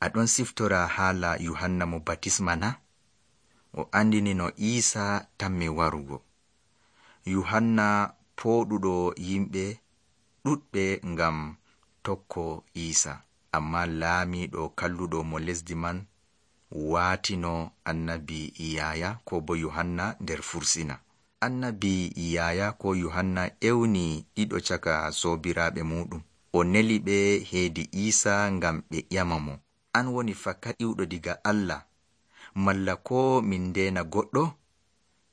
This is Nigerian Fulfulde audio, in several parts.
Aɗon siftora haala Yuhanna mo batisma na? O andini no Iisa tammi warugo. Yuhanna pooɗuɗo yimɓe ɗuɗɓe ngam tokko Iisa, amma laamiiɗo kalluɗo mo lesdi man waatino annabi Yaaya ko bo Yuhanna nder fursina. Annabi Yaaya ko Yuhanna ewni ɗiɗo caka soobiraaɓe muɗum. O neli ɓe heedi Iisa ngam ɓe ƴama mo, an woni fakaɗiwɗo diga Allah, malla ko min ndeena goɗɗo?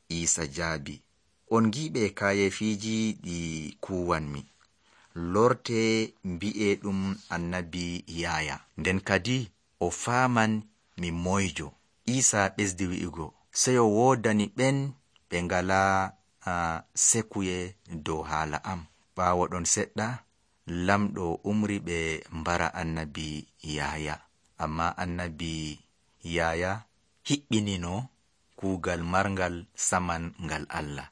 Iisa jaabi, on giiɓe kaayefiiji ɗi kuwanmi. Lorte mbi'e ɗum annabi Yaaya, nden kadi o faaman mi moyjo. Iisa ɓesdi wi'ugo, seyo woodani ɓen ɓe ngalaa sekuye dow haala am. Ɓaawo ɗon seɗɗa, lamɗo umri ɓe mbara annabi Yaaya, amma annabi Yaaya hiɓɓinino kuugal marngal saman ngal Allah.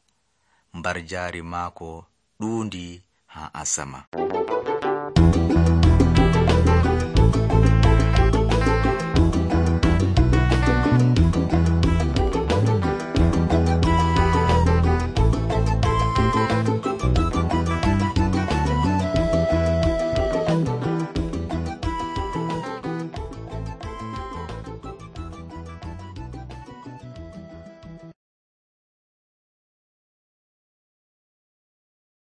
Mbar jaari maako ɗuundi haa asama.